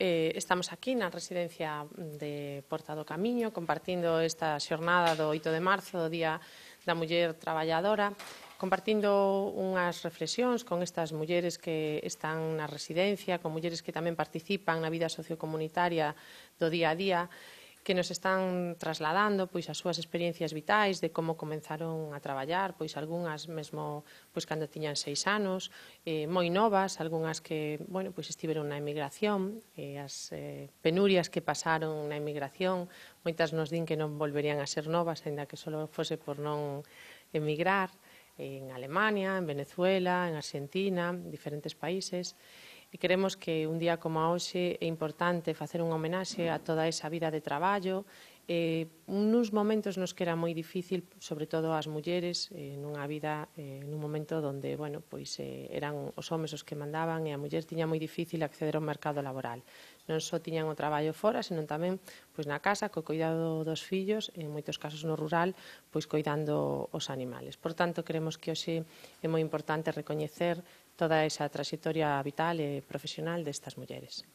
Estamos aquí na residencia de Porta do Camiño compartindo esta xornada do 8 de marzo, do Día da Muller Traballadora, compartindo unhas reflexións con estas mulleres que están na residencia, con mulleres que tamén participan na vida sociocomunitaria do día a día, que nos están trasladando pois as súas experiencias vitais de como comenzaron a traballar, pois algunhas mesmo pois cando tiñan 6 anos, moi novas, algunhas que, bueno, pois estiveron na emigración, as penurias que pasaron na emigración, moitas nos din que non volverían a ser novas, aínda que só fose por non emigrar, en Alemania, en Venezuela, en Argentina, en diferentes países. E queremos que un día como hoxe é importante facer unha homenaxe a toda esa vida de traballo, nuns momentos nos que era moi difícil, sobre todo as mulleres, nunha vida, nun momento onde, bueno, pois eran os homes os que mandaban e a muller tiña moi difícil acceder ao mercado laboral. Non só tiñan o traballo fora, senón tamén pois na casa, co cuidado dos fillos, en moitos casos no rural, pois coidando os animales. Por tanto, queremos que hoxe é moi importante recoñecer toda esa traxectoria vital e profesional destas mulleres.